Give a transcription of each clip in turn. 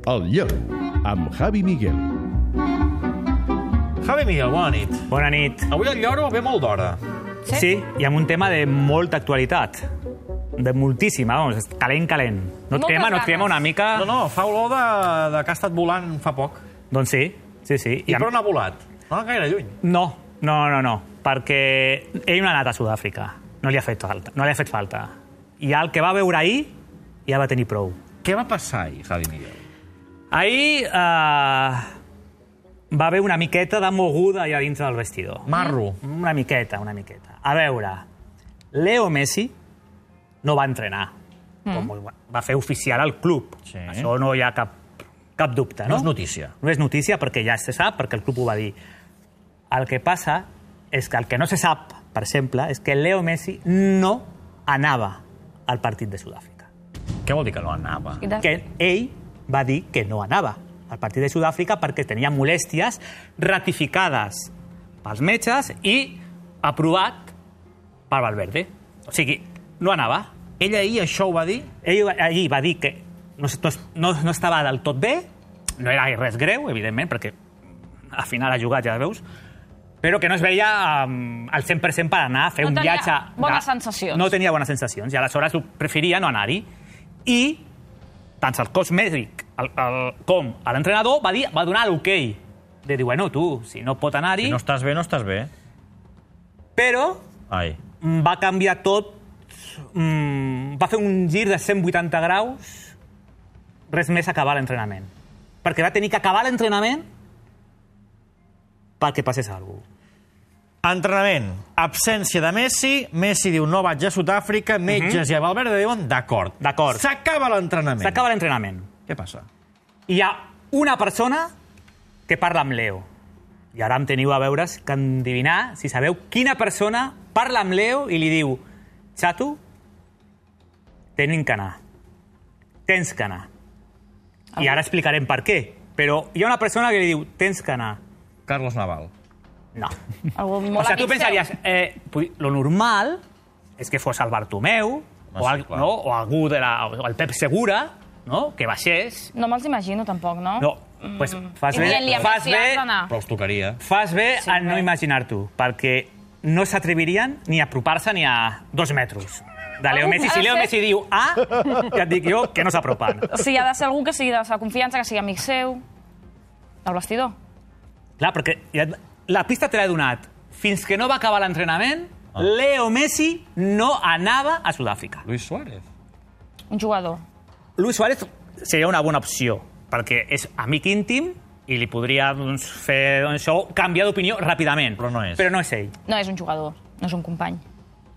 El Lleu, amb Javi Miguel. Javi Miguel, bona nit. Bona nit. Avui el Lloro ve molt d'hora. Sí, i amb un tema de molta actualitat. De moltíssima, vamos, calent. No et crema una mica? No, fa olor de que ha estat volant fa poc. Doncs sí. I per on ha volat? No gaire lluny. No, perquè ell no ha anat a Sud-àfrica. No li ha fet falta. I el que va veure ahir ja va tenir prou. Què va passar ahir, Javi Miguel? Ahir va haver una miqueta de moguda allà dins del vestidor. Marro. Una miqueta. A veure, Leo Messi no va entrenar. Com va fer oficial al club. Sí. Això no hi ha cap dubte, no? No és notícia. No és notícia perquè ja se sap, perquè el club ho va dir. El que passa és que el que no se sap, per exemple, és que Leo Messi no anava al partit de Sud-àfrica. Què vol dir que no anava? Que ell va dir que no anava al partit de Sud-àfrica perquè tenia molèsties ratificades pels metges i aprovat per Valverde. O sigui, no anava. Ell ahir això ho va dir? Ell ahir va dir que no estava del tot bé, no era res greu, evidentment, perquè al final ha jugat, ja veus, però que no es veia al 100% per anar a fer un viatge... No tenia bones sensacions. No tenia bones sensacions, i aleshores preferia no anar-hi. I tant el cos mèdic com l'entrenador va donar l'okei. De dir, bueno, tu, si no pot anar-hi... Si no estàs bé, no estàs bé. Però Ai. va canviar tot, va fer un gir de 180 graus, res més acabar l'entrenament. Perquè va tenir que acabar l'entrenament perquè passés alguna cosa. Entrenament. Absència de Messi. Messi diu, no vaig a Sud-àfrica. Metges i a Valverde diuen, d'acord. S'acaba l'entrenament. S'acaba l'entrenament. Què passa? Hi ha una persona que parla amb Leo. I ara em teniu a veure que endevinar si sabeu quina persona parla amb Leo i li diu, xato, tens que anar. I ara explicarem per què. Però hi ha una persona que li diu, tens que anar. Carlos Naval. No. O sigui, tu pensaries, lo normal és que fos el Bartomeu o algú o el Pep Segura, no? Que baixés. No me'ls imagino, tampoc, no? No, doncs fas bé Però els tocaria. Fas bé a no imaginar-t'ho, perquè no s'atrevirien ni a apropar-se ni a 2 metres de Leo Messi. Si Leo Messi diu ja et dic jo que no s'apropen. O sigui, ha de ser algú que sigui de la seva confiança, que sigui amic seu, del vestidor. Clar, perquè la pista te l'he donat. Fins que no va acabar l'entrenament, Leo Messi no anava a Sud-àfrica. Luis Suárez. Un jugador. Luis Suárez seria una bona opció, perquè és amic íntim i li podria fer canviar d'opinió ràpidament. Però no és. Però no és ell. No, és un jugador, no és un company.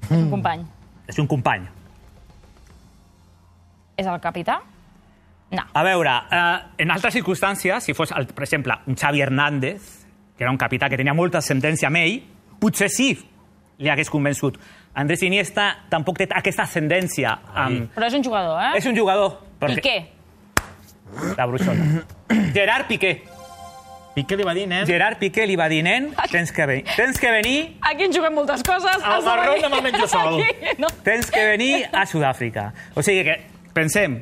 És un company. És un company. És el capità? No. A veure, en altres circumstàncies, si fos, per exemple, un Xavi Hernández, que era un capità que tenia molta ascendència amb ell, potser sí li hagués convençut. Andrés Iniesta tampoc té aquesta ascendència. Però és un jugador, eh? És un jugador. Piqué. La bruixota. Gerard Piqué. Piqué li va dir, nen? Gerard Piqué li va dir, nen, tens que venir... Aquí en juguem moltes coses. Al marrón demà menjo sol. Tens que venir a Sud-àfrica. O sigui que, pensem,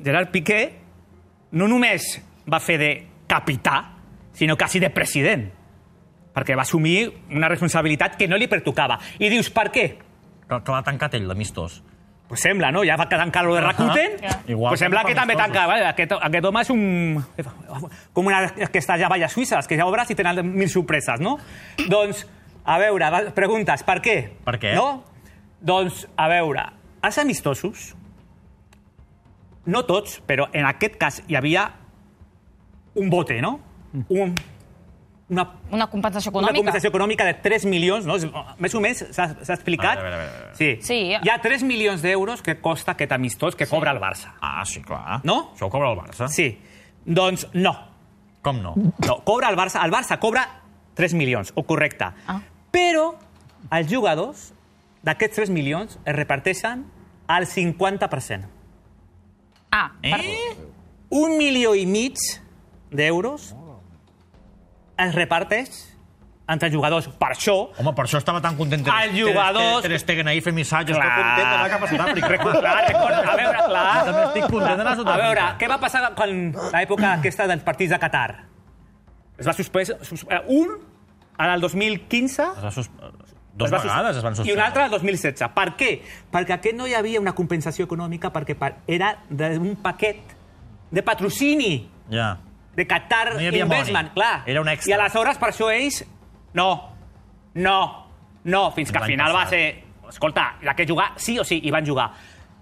Gerard Piqué no només va fer de capità, sinó quasi de president, perquè va assumir una responsabilitat que no li pertocava. I dius, per què? Que l'ha tancat ell, l'amistós. Pues sembla, no? Ja va tancar lo de Rakuten, pues sembla que també tanca... Aquest home és com aquestes llavalles suïsses, que ja obres i tenen 1000 sorpreses, no? Doncs, a veure, preguntes, per què? Per què? No? Doncs, a veure, els amistosos, no tots, però en aquest cas hi havia un bote, no? Una compensació econòmica. Una compensació econòmica de 3 milions, no? Més o menys s'ha explicat. A veure. Sí. Hi ha 3 milions d'euros que costa aquest amistós que cobra el Barça. Ah, sí, clar. No? Això ho cobra el Barça? Sí. Doncs no. Com no? No, cobra el Barça. El Barça cobra 3 milions, o correcte. Però els jugadors d'aquests 3 milions es reparteixen al 50%. 1,5 milions d'euros es reparteix entre jugadors. Per això... Home, per això estava tan content Els jugadors... Ter Stegen ahir fent missatges. Estic content d'anar cap a Sud-àfrica. A veure, clar. També estic content d'anar a Sud-àfrica. A veure, què va passar quan l'època aquesta dels partits de Qatar? Es va suspendre un al 2015... Dos vegades es van suspendre. I un altre al 2016. Per què? Perquè aquest no hi havia una compensació econòmica perquè era d'un paquet de patrocini de Qatar Investment. Clar. Era un extra. I aleshores, per això ells... No. Fins que al final va ser... Escolta, hi ha que jugar sí o sí, i van jugar.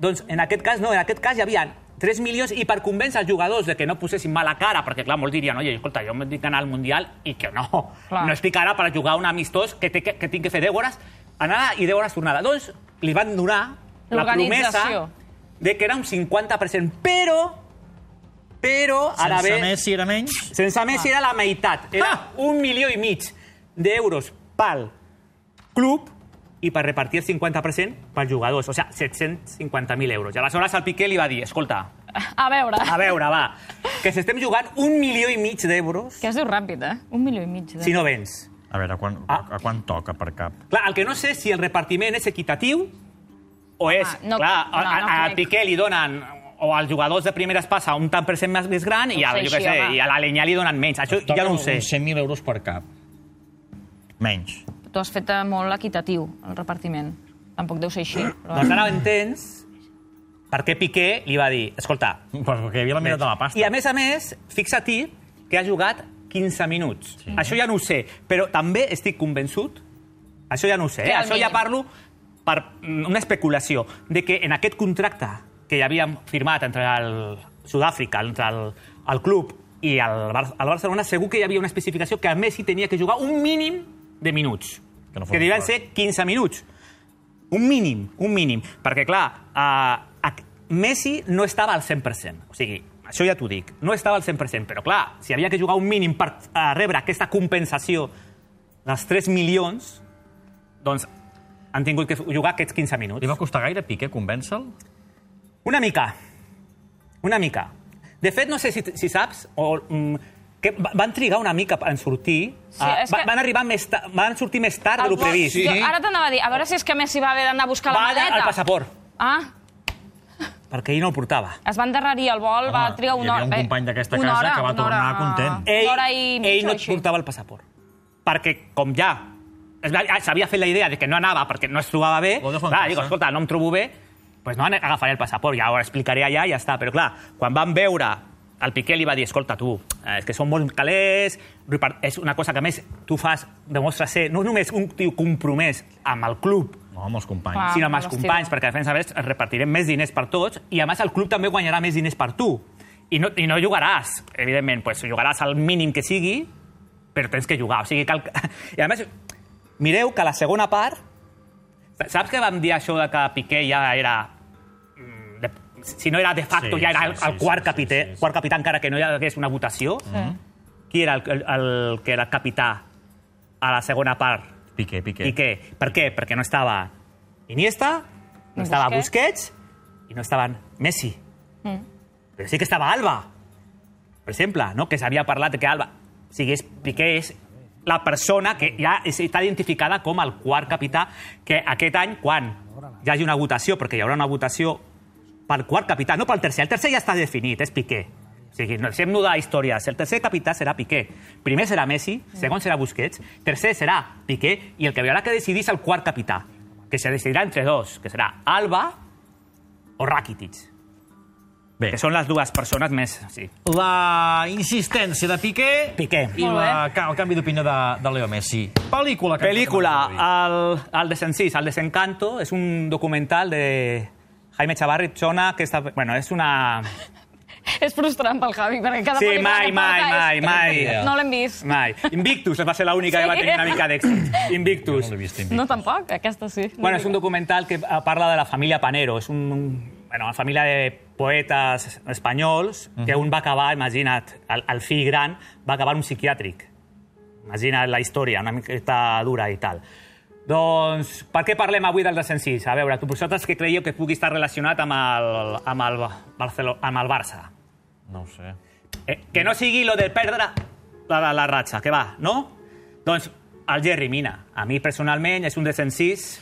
Doncs en aquest cas no, en aquest cas hi havia 3 milions i per convèncer els jugadors de que no posessin mala cara, perquè clar, molts dirien, oye, escolta, jo m'he d'anar al Mundial i que no estic ara per jugar un amistós que tinc que fer 10 hores anada i 10 hores tornada. Doncs li van donar la promesa de que era un 50%, però ara bé... Sense Messi era menys? Sense Messi era la meitat. Era 1,5 milions d'euros pel club i per repartir el 50% pels jugadors, o sigui, 750.000 euros. I aleshores el Piqué li va dir, escolta... A veure, va, que s'estem jugant 1,5 milions d'euros... Que es diu ràpid, 1,5 milions. Si no vens. A veure, a quan toca per cap? Clar, el que no sé si el repartiment és equitatiu o és... Clar, al Piqué li donen... O als jugadors de primeres passa un tant per cent més gran i a l'Alenyà li donen menys. Això ja no ho sé. Uns 100.000 euros per cap. Menys. Tu has fet molt equitatiu, el repartiment. Tampoc deu ser així. Doncs ara ho entens per què Piqué li va dir, escolta... Perquè havia la meitat de la pasta. I a més, fixa-t'hi que ha jugat 15 minuts. Sí. Això ja no ho sé, però també estic convençut, això ja no ho sé, això ja parlo per una especulació, de que en aquest contracte que ja havíem firmat entre el Sud-àfrica, entre el club i el Barcelona, segur que hi havia una especificació que a Messi tenia que jugar un mínim de minuts, que devien ser 15 minuts. Un mínim. Perquè, clar, Messi no estava al 100%. O sigui, això ja t'ho dic, no estava al 100%, però, clar, si havia que jugar un mínim per rebre aquesta compensació dels 3 milions, doncs han tingut que jugar aquests 15 minuts. Li va costar gaire Piqué convèncer-lo? Una mica. De fet, no sé si saps, que van trigar una mica en sortir. Van sortir més tard de lo previst. Ara t'anava a dir, a veure si és que Messi va haver d'anar a buscar la maleta. Va al passaport. Perquè ell no el portava. Es va endarrerir el vol, va trigar una hora. Hi havia un company d'aquesta casa que va tornar content. Ell no portava el passaport. Perquè, com ja s'havia fet la idea de que no anava perquè no es trobava bé, clar, dic, escolta, no em trobo bé, doncs no agafaré el passaport, ja ho explicaré allà i ja està. Però clar, quan van veure, el Piqué li va dir, escolta, tu, és que són molt calés, és una cosa que a més tu fas, demostres ser no només un tio compromès amb el club, no, amb els companys, sinó amb els companys, perquè a més repartirem més diners per tots i a més el club també guanyarà més diners per tu. I no jugaràs, evidentment, jugaràs al mínim que sigui, però tens que jugar. O sigui, i a més, mireu que a la segona part, saps que vam dir això de que Piqué ja era, si no era de facto, ja era el quart capità, encara que no hi hagués una votació? Qui era el que era capità a la segona part? Piqué. Per què? Perquè no estava Iniesta, no estava Busquets i no estava Messi. Però sí que estava Alba, per exemple, no? Que s'havia parlat que Alba... O sigui, Piqué és la persona que ja està identificada com el quart capità, que aquest any, quan hi hagi una votació, perquè hi haurà una votació pel quart capità, no pel tercer. El tercer ja està definit, és Piqué. O sigui, no deixem de històries. El tercer capità serà Piqué. Primer serà Messi, segon serà Busquets, tercer serà Piqué, i el que haurà que decidir és el quart capità, que se decidirà entre dos, que serà Alba o Rakitic. Que són les dues persones més... Sí. La insistència de Piqué i el canvi d'opinió de Leo Messi. Pel·lícula. El Desencís, el Desencanto, és un documental de Jaime Chavarri Chona, que és una... És frustrant pel Javi, perquè cada pel·lícula que porta mai. No l'hem vist. Mai. Invictus va ser l'única que va tenir una mica d'èxit. Invictus. No, tampoc, aquesta sí. Bueno, és un documental que parla de la família Panero. És una família de poetes espanyols que un va acabar, imagina't, el fill gran va acabar en un psiquiàtric. Imagina't la història, una miqueta dura i tal. Doncs, per què parlem avui del Desencís? A veure, vosaltres que creieu que pugui estar relacionat amb el Barça? No ho sé. Que no sigui lo de perdre la ratxa, que va, no? Doncs El Jerry Mina. A mi, personalment, és un descensís